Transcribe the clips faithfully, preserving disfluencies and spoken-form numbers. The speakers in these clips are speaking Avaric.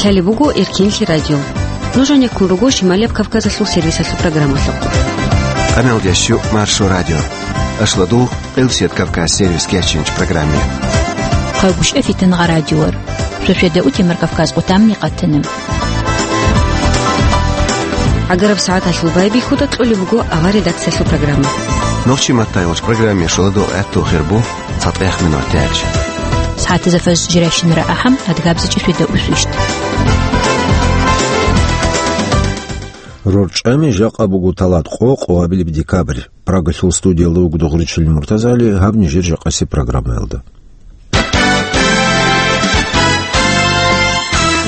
Лъалеб буго Эркенлъи радио. Нуж гьанеккун руго Шималияб Кавказалъул сервисалъул программалъухъ. Къамелдящу Маршо радио. Ашладул Къилсият Кавказ сервис кечинч программе. Хъайбушев Фитнагъа радиор. Шошеда утимар Кавказ къутамни къатана. Агараб сагӀаталъул байбихьуда кьолеб буго авар редакциялъул программа. Нохчи маттайолч программе шоладо гӀатту хирбу. ЦатӀех минут тяч. СагӀатизе фаз жиращинара ахӀам, адгабзичӀи швида усвищт. РорчӀами жакъа буго талат къо, къо абилеб декабрь. Прагалъул студиялда вуго Дугъричил Муртазали, гьаб нижер жакъаси программаялда.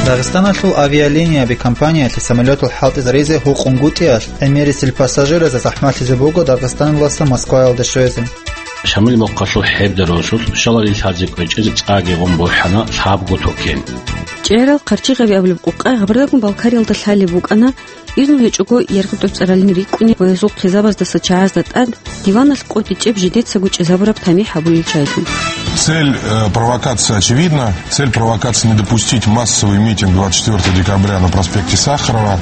Дагъистаналъул авиалинияби компаниялъе самолетал хӀалтӀизаризе гьукъунгутӀиялъ гӀемерисел пассажиразда захӀмалъизе буго Дагъистаналдаса Москваялде щвезе. Шамил мухъалъул хӀебдаралъул шалали лъазе кӀвечӀезе цӀаги гъун борхӀана лъабго токен. ЧӀерал хъарчигъаби абулеб къукъа гъабардагун Балкариялда лъалеб букӀана, изну гьечӀого яргъи тӀоцӀаралин рикӀкӀунеб ва гьезул хъизабаздаса чагӀазда тӀад диваналъ къотӀичӀеб жидецаго чӀезабураб тамихӀ гьабулел чагӀилъун. Цель, э, провокации очевидна. Цель провокации — не допустить массовый митинг двадцать четвёртого декабря на проспекте Сахарова.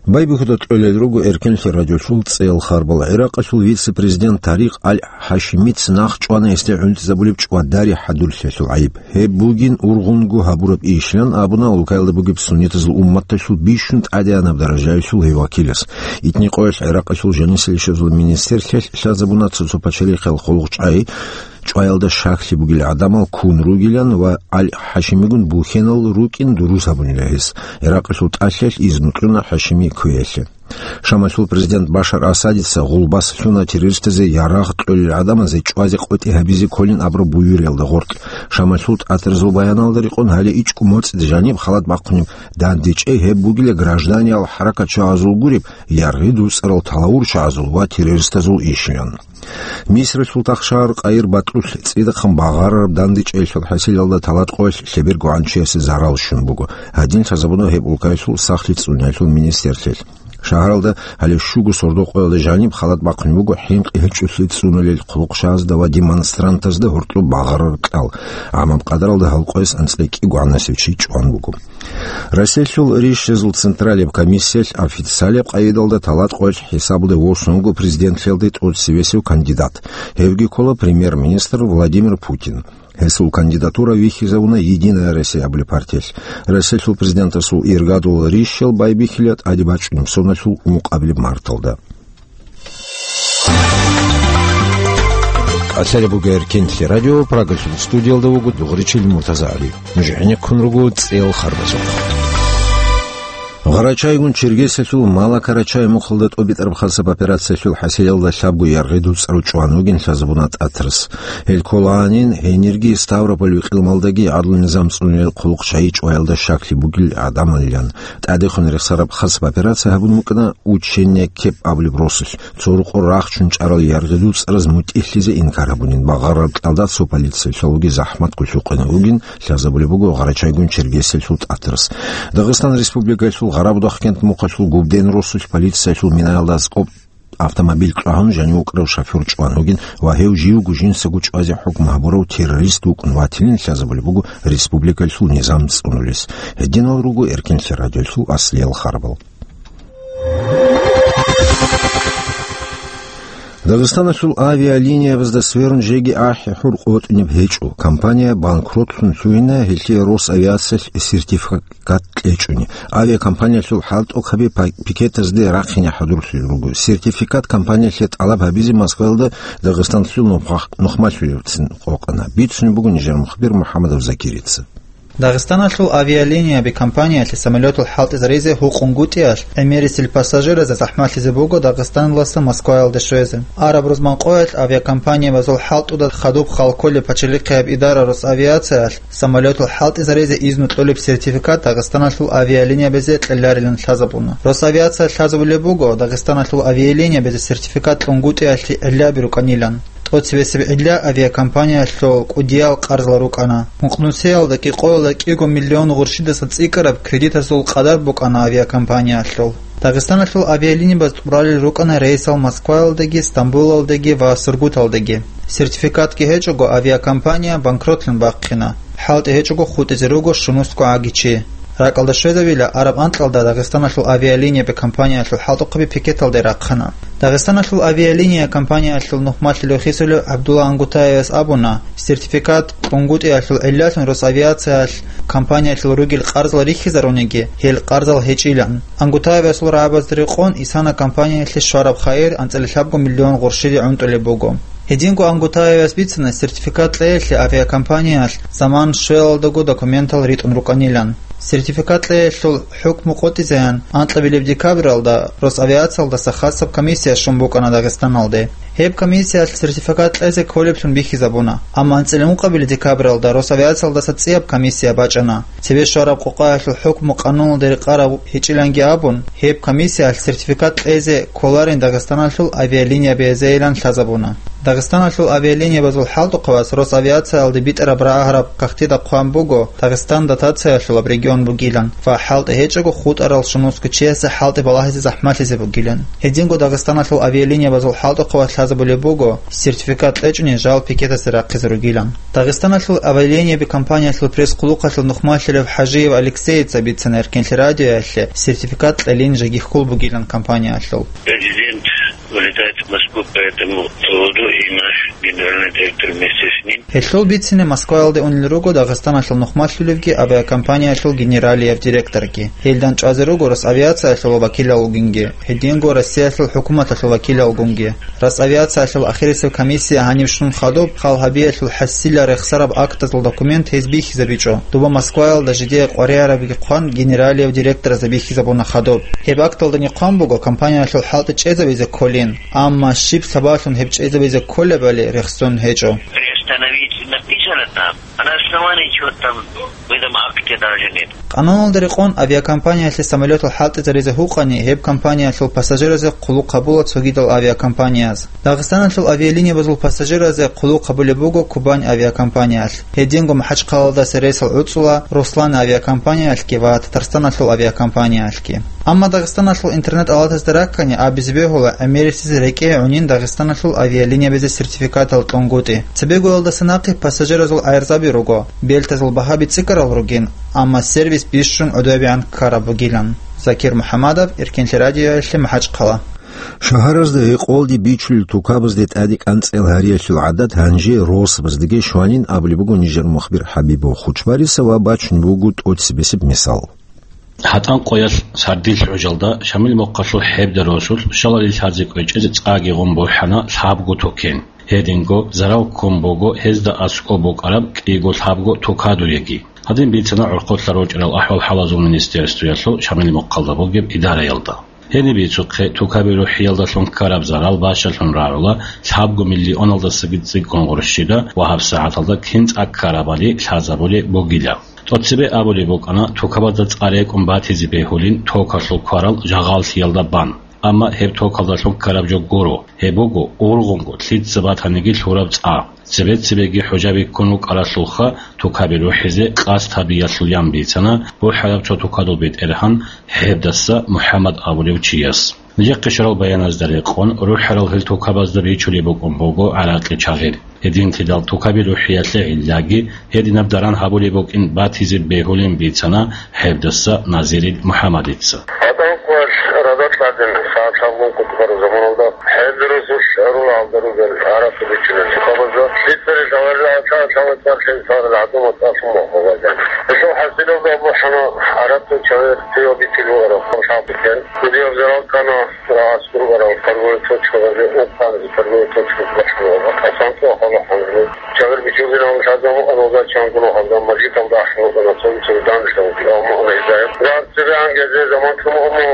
Байбихьуда кьолел руго Эркенлъи радиолъул цӀеял харбал. ГӀиракъалъул вице-президент Тарикъ Аль-ХӀашимица нахъ чӀвана гьесде гӀунтӀизабулеб чӀвадари хӀадурлъиялъул гӀайиб. Гьеб бугин ургъунго гьабураб ийищилан абуна улкаялда бугеб суннитазул умматалъул бищун тӀадегӀанаб даражаялъул гьев вакилас. Итни къоялъ ГӀиракъалъул жанисел ишазул министрлъиялъ лъазабуна цо-цо пачалихъал хъулухъчӀай чӀваялда щаклъи бугел гӀадамал ккун ругилан ва Аль-ХӀашимигун бухьенал рукӀин дурус гьабунила гьес. ГӀиракъалъул тӀалъиялъ изну кьуна ХӀашими кквеялъе. Шамалъул президент Башар Асадица гъулбас лъуна террористазе ярагъ кьолел гӀадамазе чӀвазе къотӀи гьабизе кколин абураб буюриялда гъоркь. Шамалъул тӀатарзул баяналда рекъон гьале ичӀго моцӀида жаниб халат бахъунеб дандечӀей гьеб бугила гражданиял хӀаракатчагӀазул гуреб, яргъи дуцӀарал талавурчагӀазул ва террористазул ишилан. Мисралъул тахшагьар Къайр батӀулъ цӀидахъан багъарараб дандечӀейилъул хӀасилалда талат къоялъ лъеберго гӀанчиясе зарал щун буго. Гьадин лъазабуна гьеб улкаялъул сахлъи цӀуниялъул министрлъиялъ. Шагьаралда гьале щуго сордо къоялда жаниб халат бахъун буго хӀинкъи гьечӀолъи цӀунулел хъулухъчагӀазда ва демонстрантазда гьоркьоб багъарараб кьал. ГӀамаб къадаралда гьал къояс анцӀила кӀиго гӀанасев чи чӀван буго. Россиялъул рищазул централияб комиссиялъ официалияб къагӀидалда талат къоялъ хӀисабалде восун вуго президентлъиялде тӀоцевесев кандидат. Гьевги ккола премьер-министр Владимир Путин. Гьесул кандидатура вихьизавуна «Единая Россия» абулеб партиялъ. Россиялъул президентасул иргадул рищал байбихьила тӀаде бачӀунеб соналъул ункъабилеб марталда. Къалъалеб буго Эркенлъи радио, Прагалъул студиялда вуго Дугъричил Муртазагьали. Нуж гӀенеккун руго цӀеял харбазухъ. Гъарачайгун Чергесиялъул Малакарачай мухъалда тӀобитӀараб хасаб операциялъул хӀасилалда лъабго яргъи дуцӀарав чӀван вугин лъазабуна тӀатарас. Гьел ккола гьанин гьенирги Ставрополь векъилмалдаги гӀадлу-низам цӀунулел хъулухъчагӀи чӀваялда щаклъи бугел гӀадамалилан. ТӀадехун рехсараб хасаб операция гьабун букӀана Учение Кеп абулеб росулъ. Цо рукъо рахчун чӀарал яргъи дуцӀараз мутӀигьлъизе инкар гьабунин, багъараб кьалда цо полициялъулги захӀмат гулъукъине вугин лъазабулеб буго Гъарачайгун Чергесиялъул тӀатарас. Дагъистан Республикаялъул Гъарабудахъ кент мухъалъул Губден росулъ полициялъул минаялда аскӀоб автомобиль кьвагьун жанив вукӀарав шофер чӀван вугин ва гьев живго жинсаго чӀвазе хӀукму гьабурав террорист вукӀун ватилин лъазабулеб буго республикалъул низам цӀунулес. Гьединал руго Эркенлъи радиолъул аслиял харбал. Дагъистаналъул авиалиниябазда сверун жеги ахӀи-хӀур къотӀунеб гьечӀо. Компания банкротлъун лъугьина, гьелъие Росавиациялъ сертификат кьечӀони. Авиакомпаниялъул хӀалтӀухъаби па-, пикетазде рахъине хӀадурлъун руго. Сертификат компаниялъе тӀалаб гьабизе Москваялда Дагъистанлъул нухмах-, нухмалъулевцин къокъана. Бицунеб буго нижер мухбир МухӀамадов Закирица. Дагъистаналъул авиалинияби компаниялъе самолетал хӀалтӀизаризе гьукъунгутӀиялъ гӀемерисел пассажиразда захӀмалъизе буго Дагъистаналдаса Москваялде щвезе. Араб рузман къоялъ авиакомпаниябазул хӀалтӀуда хадуб халколеб пачалихъияб идара Росавиациялъ самолетал хӀалтӀизаризе изну кьолеб сертификат Дагъистаналъул авиалиниябазе кьеларилан лъазабуна. Росавиация лъазабулеб буго Дагъистаналъул авиалиниябазе сертификат кьунгутӀиялъе гӀиллаби рукӀанилан. ТӀоцебесеб гӀилла авиакомпаниялъул кӀудиял къарзал рукӀана. Мукънусиялда кӀикъоялда кӀиго миллион гъурщидаса цӀикӀкӀараб кредитазул къадар букӀана авиакомпаниялъул. Дагъистаналъул авиалиниябаз тӀуралел рукӀана рейсал Москваялдаги, Стамбулалдаги ва Сургуталдаги. Сертификатги гьечӀого авиакомпания банкротлъун бахъина. хӀалтӀи гьечӀого хутӀизе руго щунусго гӀаги чи. РакӀалда щвезабила араб анкьалда Дагъистаналъул авиалинияб компаниялъул хӀалтӀухъаби пикеталде рахъана. Дагъистаналъул авиалиния компаниялъул нухмалъулев хисулев ГӀабдулла Ангутаевас абуна, сертификат кьунгутӀиялъул гӀиллалъун Росавиациялъ компаниялъул ругел къарзал рихьизаруниги, гьел къарзал гьечӀилан. Ангутаевасул рагӀабазда рекъон исана компаниялъе щвараб хайир анцӀила лъабго миллион гъурщиде гӀунтӀулеб буго. Гьединго Ангутаевас бицана, сертификат кьеялъе авиакомпаниялъ заман щвелалдаго документал ритӀун рукӀанилан. Сертификат кьеялъул хӀукму къотӀизеян анкьабилеб декабралда Росавиациялдаса хасаб комиссия щун букӀана Дагъистаналде. Гьеб комиссиялъ сертификат кьезе кколеблъун бихьизабуна, амма анцӀила ункъабилеб декабралда Росавиациялдаса цӀияб комиссия бачӀана. Цебе щвараб къокъаялъул хӀукму къануналда рекъараб гьечӀиланги абун, гьеб комиссиялъ сертификат кьезе кколарин Дагъистаналъул авиалиниябазейилан лъазабуна. Дагъистаналъул авиалиниябазул хӀалтӀухъавас Росавиациялде битӀараб рагӀараб кагътида хъван буго, Дагъистан дотациялъулаб регион бугилан ва хӀалтӀи гьечӀого хутӀарал щунусго чиясе хӀалтӀи балагьизе захӀмалъизе бугилан. Гьединго Дагъистаналъул авиалиниябазул хӀалтӀухъавас лъазабулеб буго, сертификат кьечӀони жал пикетасе рахъизе ругилан. Дагъистаналъул авиалинияби компаниялъул пресс-хъулухъалъул нухмалъулев ХӀажиев Алексеица бицана Эркенлъи радиоялъе сертификат кьелин жеги хьул бугилан компаниялъул. Президент улетает в Москву по этому поводу, и наш генеральный директор вместе с ним. Гьелъул бицине Москваялде унел руго Дагъистаналъул нухмалъулевги авиакомпаниялъул генералияб директорги. Гьелдан чӀвазе руго Росавиациялъул вакилалгунги, гьединго Россиялъул хӀукуматалъул вакилалгунги. Росавиациялъул ахирисеб комиссия гьанив щун хадуб, хал гьабиялъул хӀасила рехсараб актазул документ гьез бихьизабичӀо. Дуба Москваялда жидее къваригӀарабги хъван генералияб директоразда бихьизабуна хадуб. Гьеб акталда нихъван буго компаниялъул хӀалтӀи чӀезабизе кколин, амма щиб сабаблъун гьеб чӀезабизе кколебали рехсон гьечӀо. Приостановить написано там, а на основании чего там в этом акте даже нет. Къануналда рекъон авиакомпаниялъе самолетал хӀалтӀизаризе гьукъани, гьеб компаниялъул пассажиразе хъулухъ гьабула цогидал авиакомпанияз. Дагъистаналъул авиалиниябазул пассажиразе хъулухъ гьабулеб буго Кубань авиакомпаниялъ. Гьединго МахӀачхъалаялдаса рейсал гӀуцӀула Руслан авиакомпаниялъги ва Татарстаналъул авиакомпаниялъги. Амма Дагъистаналъул интернет-алатазда раккани абизе бегьула гӀемерисез рекӀее гӀунин Дагъистаналъул авиалиниябазе сертификатал кьунгутӀи. Цебегоялдаса нахъе пассажиразул гӀайрзаби руго, бельтазул багьаби цӀикӀкӀарал ругин, амма сервис бищун гӀодобегӀан ккараб бугилан. Закир МухӀаммадов, Эркенлъи радиоялъе, МахӀачхъала. Шагьаразда гьекъолде бичулел тукабазде тӀаде кӀанцӀел гьариялъул гӀадат гьанже росабаздаги щванин абулеб буго нижер мухбир ХӀабибов. Хучбариса ва бачун буго тӀоцебесеб мисал. ГьатӀан къоялъ сардилъ гӀужалда Шамил мухъалъул ХӀебда росулъ щалали лъазе кӀвечӀезе цӀаги гъун бухӀана лъабго токен. Гьединго зарал ккун буго гьезда аскӀоб букӀараб кӀиго лъабго тукадуеги. Гьадин бицана гӀурхъулъа ручӀарал ахӀвал-хӀалазул министерствоялъул Шамил мухъалда бугеб идараялда. Гьениб бицухъе, тукаби рухӀиялдалъун ккараб зарал бащалъун рагӀула лъабго миллионалдасаги цӀикӀкӀун гъурщида ва гьабсагӀаталда кин цӀа ккарабали лъазабулеб бугила. ТӀоцебе абулеб букӀана, тукабазда цӀа рекӀун батизе бегьулин токалъул кварал жагъаллъиялда бан. Амма гьеб токалдалъун ккараб жо гуро, гьеб буго ургъунго лъица батаниги лъураб цӀа. Цебе-цебеги хӀужаби ккун рукӀаралъулха тукаби рухӀизе къасд гьабиялъул, ян бицана бухӀараб цо тукадул бетӀергьан ХӀебдаса МухӀаммад абулев чияс. Нижехъе щварал баяназда рекъон, рухӀарал гьел тукабазда бичулеб букӀун буго гӀаракъи чагъир. Гьединлъидал тукаби рухӀиялъе гӀиллаги гьединаб даран гьабулеб букӀин батизе бегьулин бицана ХӀебдаса Назирил МухӀаммадица. ГьатӀан къоялъ радал тӀадин сагӀат лъабгун кутакараб заманалда, ХӀебда росулъ гӀурула гьалда ругел гӀаракъи бичулел тукабазда, лъицари лъаварила гӀатӀа лъавацӀар лъен сагъарал гӀадамал тӀалъун бахъугъазда. Гьелъул хӀасилалда бухӀана гӀаракъи чагъир цеве бичулев араб хъалхӀал бетӀер. Кудияб зарал ккана. Рагъас гурбарал торговый точкабазе, ункъабизе торговый точка бахъуна, асанкъо хала ханжу. Чагъир бичулгинал лъазамукъана ва чангуна гьалда мажгиталда ахӀун вукӀана, цоги-цоги данделъ вукӀи, амма ана гьезда. Рагъ цебегӀан гезде заман чумугьуна,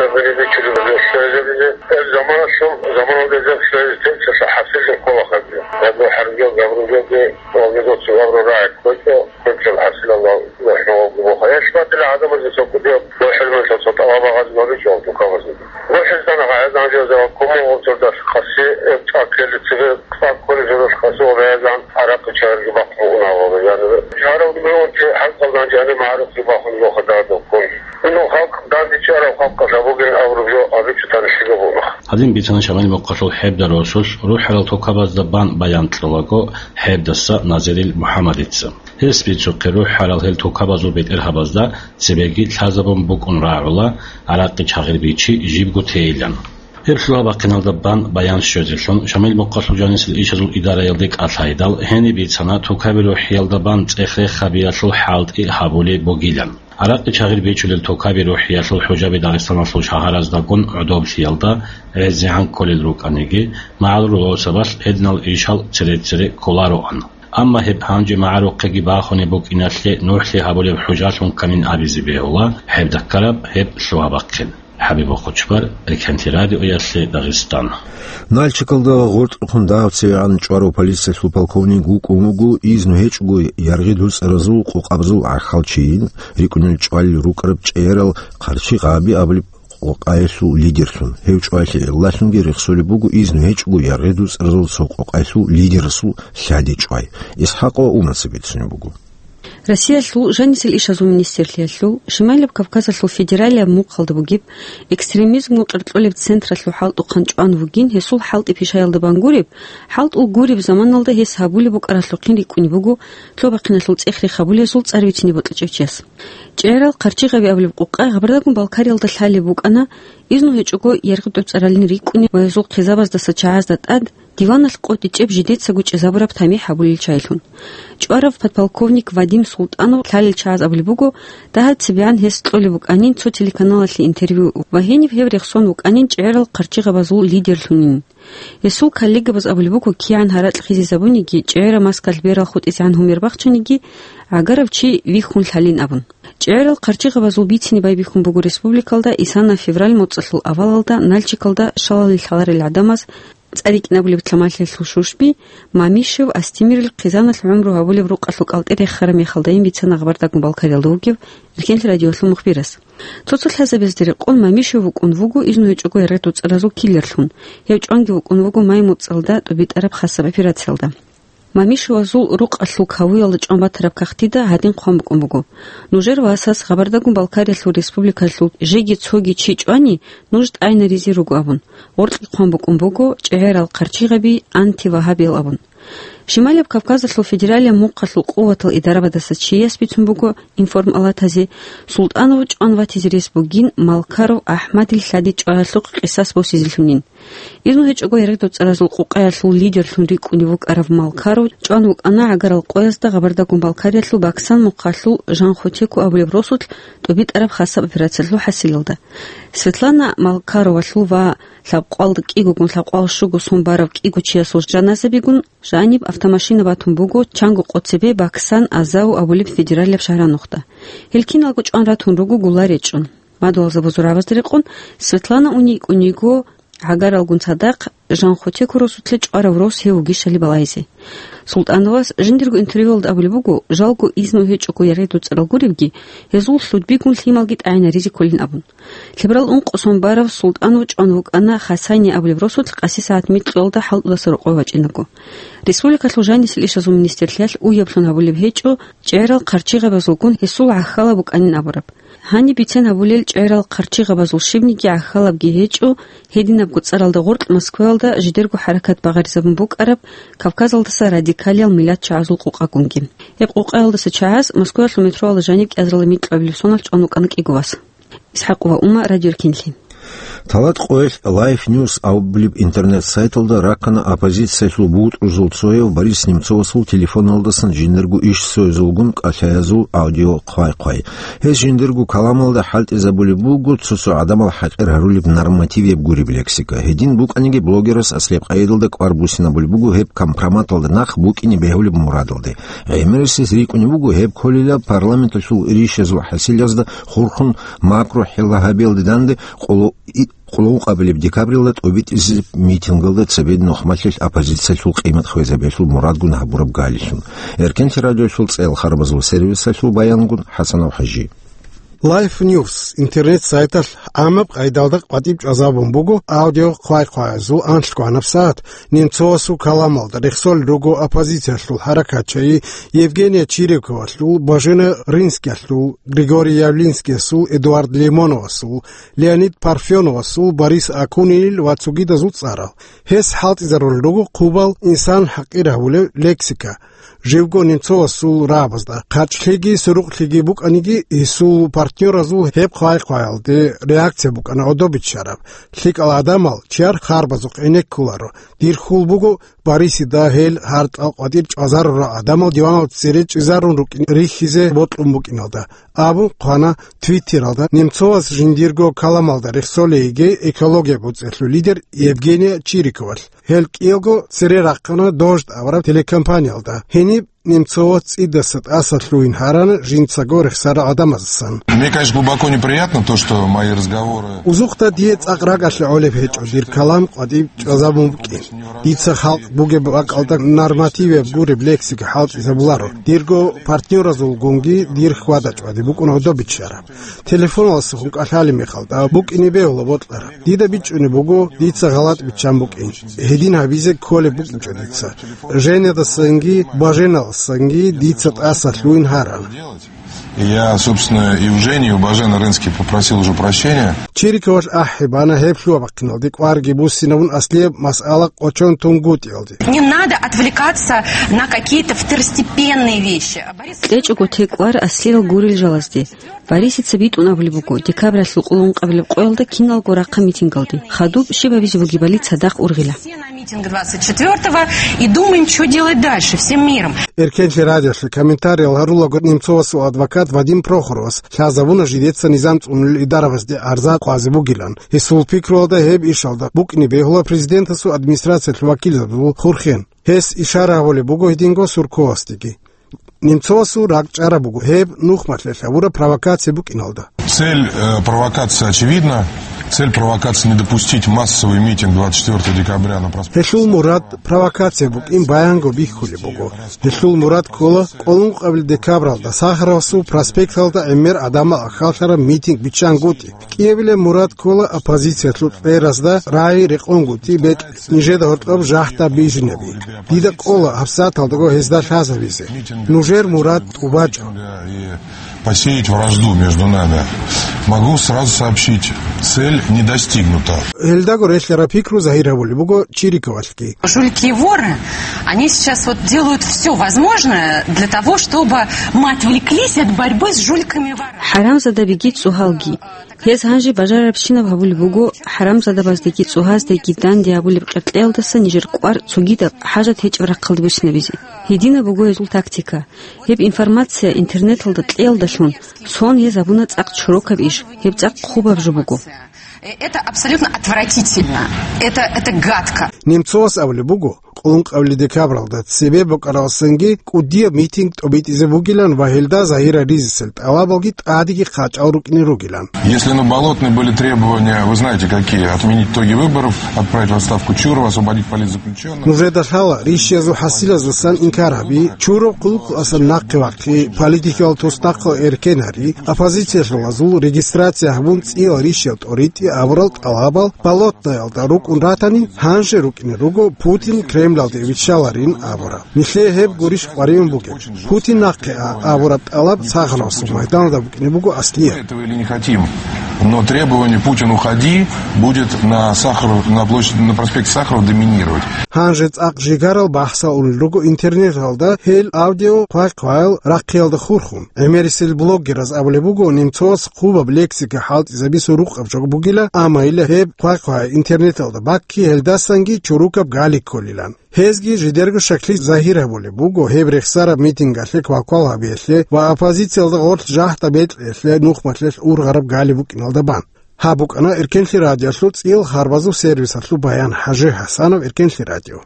э, бери бичулеб гьезде щвезабизе. Э, заманалъул, заманалда гьезде щвезе теччалъа хӀасилли ккола хадуб. Гьаб хӀарбиял габру гьезде ва гьезул цо габру рагӀи ккечӀо, ккечӀеб хӀасилалда. Ва хӀалалги буха. Я шбатила гӀадамазе цо кӀудияб ва хӀилмуца цо тӀалаб гьабизе гьабичӀо тукабазе. Ва хӀилтана гӀайзан жеза ва куму гъурцурдас хъаси эб цӀаккели цебе цӀакколи журус хъаси ва гӀайзан гӀаракъи чагӀирги бахъун унагъоби. Яни чагӀаравги бегьунчи хӀалкъалдан жани магӀарухъги бахун йоха дадуккун. Ину халкъ данде Чарав халкъалъ бугин абураб жо абичӀо тарихлъиго буго. Гьадин бицана Шамил мухъалъул ХӀебда росулъ рухӀарал токабазда бан баян кьолаго ХӀебдаса Назирил МухӀаммадица. Гьес бицухъе рухӀарал гьел токабазул бетӀергьабазда цебеги лъазабун букӀун рагӀула, гӀаракъи чагъир бичи жибго тейилан. Гьеб лъугьа-бахъиналда бан баян щвезелъун Шамил мухъалъул жанисел ишазул идараялде кӀалъайдал, гьениб бицана токаби рухӀиялда бан цӀех-рех гьабиялъул хӀалтӀи гьабулеб бугилан. ГӀаракъи чагъир бичулел токаби рухӀиялъул хӀужаби Дагъистаналъул шагьараздагун гӀодоблъиялда гӀезегӀан кколел рукӀаниги, магӀарул росабалъ гьединал ишал цере-цере кколароан. Амма гьеб гьанже магӀарухъеги бахунеб букӀиналъе нухлъи гьабулеб хӀужалъун камин абизе бегьула гьеб даккараб гьеб лъугьа-бахъин. ХӀабиб Бохучбар, Риканти радиоялъе Дагъистан. Нальчикалда гъоркьухъун дагьаб цевегӀан чӀварав полициялъул полковник вукӀун вуго изну гьечӀого яргъи дуцӀаразул къокъабазул гӀахьалчийин, рикӀкӀунел чӀвалел рукӀараб чӀегӀерал Хъарчи Гъаби абулеб къокъаялъул лидерлъун. Гьев чӀваялъе гӀиллалъунги рехсолеб буго изну гьечӀого яргъи дуцӀаразул цо къокъаялъул лидерасул лъади чӀвай. ИсхӀакъ ва Умаца бицунеб буго. Россиялъул жанисел ишазул министрлъиялъул Шимайлаб Кавказалъул федералияб мухъалда бугеб экстремизмгун къеркьолеб централъул хӀалтӀухъан чӀван вугин гьесул хӀалтӀи пишаялда бан гуреб, хӀалтӀул гуреб заманалда гьес гьабулеб букӀаралъухъин рикӀкӀунеб буго лъугьа-бахъиналъул цӀех-рех гьабулезул цӀар бицине бокьичӀев чияс. ЧӀегӀерал Хъарчи Гъаби абулеб къокъа Гъабардагун Балкариялда лъалеб букӀана, изну гьечӀого яргъи дуцӀаралин рикӀкӀунеб ва гьезул хъизабаздаса чагӀазда тӀад диваналъ къотӀичӀеб жидецаго чӀезабураб тамихӀ гьабулел чайилъун. ЧӀварав подполковник Вадим Султанов лъалел чагӀаз абулеб буго, дагьаб цебегӀан гьес кьолеб букӀанин цо телеканалалъе интервью ва гьениб гьев рехсон вукӀанин чӀегӀерал хъарчигъабазул лидерлъунин. Гьесул коллегабаз абулеб буго, кигӀан гьаракь хизизабуниги, чӀегӀераб маскалъ берал хутӀизегӀан гьумер бахчаниги, гӀагарав чи вихьун лъалин абун. ЧӀегӀерал хъарчигъабазул бицине байбихьун буго республикалда исана февраль моцӀалъул авалалда Нальчикалда шалалил лъаларел гӀадамаз цӀа рикӀкӀинабулеб Тамалъиялъул Шушби, Мамишев, Астемирил хъизаналъ гӀумру гьабулеб рукъалъул кӀалтӀи рехараб мехалдайин бицана Гъабардагун Балкариялда вугев Эркенлъи радиолъул мухбирас. Цо-цо лъазабазде рекъон Мамишев вукӀун вуго изну гьечӀого яргъи дуцӀаразул киллерлъун. Гьев чӀванги вукӀун вуго май моцӀалда тӀубитӀараб хасаб операциялда. Мамишевазул рукъалъул кавуялда чӀван батараб кагътида гьадин хъван букӀун буго: «Нужер васас Гъабардагун Балкариялъул республикалъул жеги цоги чи чӀвани, нуж тӀайнаризе руго», – абун, гъоркье хъван букӀун буго чӀегӀерал хъарчигъаби антивагьабиял абун. Шималияб Кавказалъул федералияб мухъалъул къуватал идарабадаса чияс бицун буго информалатазе, Султанов чӀван ватизе рес бугин Малкаров АхӀмадил лъади чӀваялъухъ къисас босизелъунин. Изну гьечӀого яргъи дуцӀаразул къукъаялъул лидерлъун рикӀкӀунев вукӀарав Малкаров чӀван вукӀана гӀагарал къоязда Гъабардагун Балкариялъул Баксан мухъалъул Жанхотеку абулеб росулъ тӀубитӀараб хасаб операциялъул хӀасилалда. Светлана Малкаровалъул ва лъабкъвалда кӀигогун лъабкъвал щуго сон барав кӀиго чиясул жаназабигун жаниб автомашина батун буго чанго къо цебе Баксан Азау абулеб федералияб шагьранухъда. Гьел киналго чӀван ратун руго гулла речӀчӀун. Мадугьалзабазул рагӀабазда рекъон, Светлана уней кӀун йиго гӀагаралгун цадахъ Жанхотеку росулъе чӀварав рос гьев вугищали балагьизе. Султановас жиндирго интервьюялда абулеб буго, жалго изну гьечӀого яргъи дуцӀарал гуребги, гьезул лъудбигун лъималги тӀагӀинаризе кколин абун. Лъеберал ункъо сон барав Султанов чӀван вукӀана Хасани абулеб росулъ къаси сагӀат микьуялда хӀалтӀудаса рокъове вачӀинаго. Республикалъул жанисел ишазул министрлъиялъ уяблъун гьабулеб гьечӀо, чӀегӀерал хъарчигъабазулгун гьесул гӀахьалаб букӀанин абураб. Гьаниб бицен гьабулел чӀегӀерал хъарчигъабазул щибниги гӀахьалабги гьечӀо, гьединабго цӀаралда гъоркь Москваялда жидерго хӀаракат багъаризабун букӀараб Кавказалдаса радикалиял миллатчагӀазул къукъагунги. Гьеб къукъаялдаса чагӀаз Москваялъул метроялда жаниб кӀиазарила микьабилеб соналъ чӀван вукӀана кӀиго вас. ИсхӀакъ ва Ума, Радио Эркенлъи. Талат къоялъ Life News абулеб интернет-сайталда раккана оппозициялъул бутӀрузул цояв Борис Немцовасул телефоналдасан жиндирго иш цоязулгун кӀалъаязул аудиохъвай-хъвай. Гьес жиндирго каламалда хӀалтӀизабулеб буго цо-цо гӀадамал хӀакъир гьарулеб нормативияб гуреб лексика. Гьедин букӀаниги блогерас аслиябкъайдалда кӀвар буссинабулеб буго гьеб компроматалда нахъ букӀине бегьулеб мурадалде. ГӀемерисез рикӀкӀунеб буго гьеб кколила парламенталъул ришазул хӀасилазда хурхун макрохӀила гьабиялде данде къоло-, и-, къуллукъабилеб декабрилда тӀубитӀизеб митингалда цебе нухмалъилъ оппозициялъул къимат хвезабиялъул мурадгун гьабураб галилъун. Эркенлъи радиолъул цӀел харбазул сервисалъул баянгун ХӀасанов ХӀажи. Life News интернет-сайталъ гӀамаб къайдалда къватӀиб чӀвазабун буго аудиохъвай-хъваязул анлъго гьанаб сагӀат. Немцовасул каламалда рехсолел руго оппозициялъул хӀаракатчагӀи Евгения Чириковалъул, Божена Рынскиялъул, Григорий Явлинскиясул, Эдуард Лимоновасул, Леонид Парфеновасул, Борис Акунинил ва цогидазул цӀарал. Гьес хӀалтӀизарулел руго хъубал инсан хӀакъир гьавулев лексика. Живго Немцовасул рагӀабазда хъачӀлъиги сурукълъиги букӀаниги, гьесул партнёразул гьеб хъвай-хъваялде реакция букӀана гӀодобиччараб. ЛъикӀал гӀадамал чияр харбазухъ гӀенеккуларо. Дир хьул буго, Борисида гьел гьартӀал къватӀир чӀвазарурал гӀадамал диванал цере чӀезарун рукӀин рихьизе бокьун букӀиналда, абун хъвана Твиттералда Немцовас жиндирго каламалда рехсолейги экология боцӀиялъул лидер Евгения Чириковалъ. Гьел кӀиялго цере рахъана Дождь абураб телекомпаниялда. Гьениб Немцовас цӀидаса тӀаса лъугьин гьарана жинцаго рехсарал гӀадамаздасан. Мне, конечно, глубоко неприятно то, что мои разговоры Узухъда дие цӀакъ ракӀалъе гӀолеб гьечӀо дир калам къватӀиб чӀвазабун букӀин. Дица халкъ бугеб бакӀалда нормативияб гуреб лексика хӀалтӀизабуларо. Дирго партнёразулгунги дир хьвада-чӀвади букӀун гӀодобиччараб. Телефоналдасухъун кӀалъалеб мехалда букӀине бегьула бокьараб. Дида бичӀчӀунеб буго, дица гъалатӀ биччан букӀин. Гьедин гьабизе кколеб букӀинчӀо дица. Женядасанги Боженалдасанги дица тӀаса лъугьин гьарана. Я, собственно, и у Жени, и у Божена Рынских попросил уже прощения. Чириковалъ ахӀи бана гьеб лъугьа-бахъиналде кӀварги буссинабун аслияб масъала къочон тунгутӀиялде. Не надо отвлекаться на какие-то второстепенные вещи. Борис КьечӀого текӀвар аслиял гурел жалазде. Борисица битӀун абулеб буго, декабралъул къуллун къабилеб къоялда киналго рахъа митингалде. Хадуб щиб гьабизе бугебали цадахъ ургъила. Все на митинг двадцать четвёртого и думаем, что делать дальше всем миром. Эркенлъи радиолъе комментариял гьарулаго Немцовасул адвокат Вадим Прохоровас лъазабуна жидеца низам цӀунулел идарабазде гӀарза къвазе бугилан. Гьесул пикруялда гьеб ишалда букӀине бегьула президентасул администрациялъул вакилзабазул хурхен. Гьес ишара гьабулеб буго гьединго Сурковасдеги. Немцовасул ракӀчӀараб буго гьеб нухмалъе лъабураб провокация букӀиналда. Цель, э, провокации очевидна. Цель провокации не допустить массовый митинг двадцать четвёртого декабря на проспекте. Гьелъул мурад провокация букӀин баянго бихьулеб буго. Гьелъул мурад ккола къуллун къабил декабралда Сахаровасул проспекталда гӀемер гӀадамал аххалъараб митинг биччангутӀи. КӀиабилеб мурад ккола оппозициялъул кьеразда рагӀи рекъонгутӀи бекь. Нижеда гьоркьоб жахӀда бижинаби. Дида кӀола гьабсагӀаталдаго гьезда лъазабизе. Нужер мурад тӀубачӀо. И посеять вражду между нами. Могу сразу сообщить, цель не достигнута. Гьелдаго релълъараб пикру загьир гьабулеб буго Чириковалъги. Жулики и воры, они сейчас вот делают всё возможное для того, чтобы мы отвлеклись от борьбы с жуликами и ворами. ХӀарамзадабиги цӀогьалги. Гьез гьанже бажарарабщинаб гьабулеб буго, хӀарамзадабаздеги цӀогьаздеги данде гьабулеб къеркьеялдаса нижер кӀвар цогидаб хӀажат гьечӀеб рахъалде буссинабизе. Гьединаб буго гьезул тактика. Гьеб информация интернеталда кьеялдалъун, сон гьез гьабуна цӀакъ чорокаб иш, гьеб цӀакъ хъубаб жо буго. Э, это абсолютно отвратительно. Это, это гадко. Немцовас абулеб буго, къуллун къабили декабралда цебе букӀаралдасанги кӀудияб митинг тӀобитӀизе бугилан ва гьелда загьира ризисел тӀалабалги тӀадеги хъачӀал рукӀине ругилан. Если на Болотной были требования, вы знаете, какие: отменить итоги выборов, отправить в отставку Чурова, освободить политзаключённых. Нужеда лъала, рищиязул хӀасилаздасан инкар гьаби, Чуров хъулухъалъасан нахъе вахъи, политикиял туснахъал эркен гьари, оппозициялъулазул регистрация гьабун цӀиял рищиял тӀоритӀи абурал тӀалабал Болотноялда рукӀун ратани, гьанже рукӀине руго Путин Кремлалде виччаларин абураб. Нилъее гьеб гурищ къваригӀун бугеб? Путин нахъе а абураб тӀалаб Сахаровасул майданалда букӀине буго аслияб. Этого или не хотим, но требование «Путин, уходи» будет на Сахаров, на площади, на проспекте Сахарова доминировать. Гьанже цӀакъ жигарал бахӀсал унел руго интернеталда гьел аудио хъвай-хъваял рахъиялда хурхун. ГӀемерисел блогераз абулеб буго, Немцовас хъубаб лексика хӀалтӀизабизе рукъаб жо бугила, амма ила гьеб хъвай-хъвай интернеталда бакки, гьелдасанги чорокаб гали кколилан. Гьезги жидерго шаклъи загьир гьабулеб буго гьеб рехсараб митингалъе квалквал гьабиялъе ва оппозициялда гъорлъ жагьда бекьиялъе нухмалъе ургъараб гали букӀиналда бан. Гьаб букӀана Эркенлъи радиолъул цӀиял харбазул сервисалъул баян. ХӀажи ХӀасанов, Эркенлъи радио.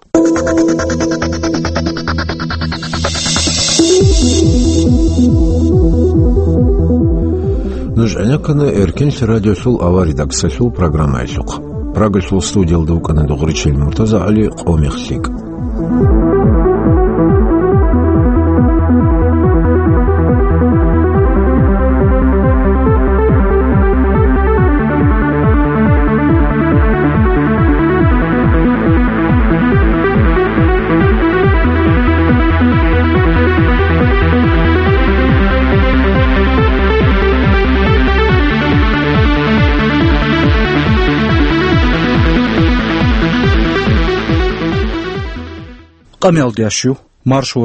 Нуж гӀенеккана Эркенлъи радиолъул аваридаксалъул программаялъухъ. Прагалъул студиялда вукӀана Дугъричил МуртазагӀали, къо мех лъикӀ. Къамиялда я щив, маршал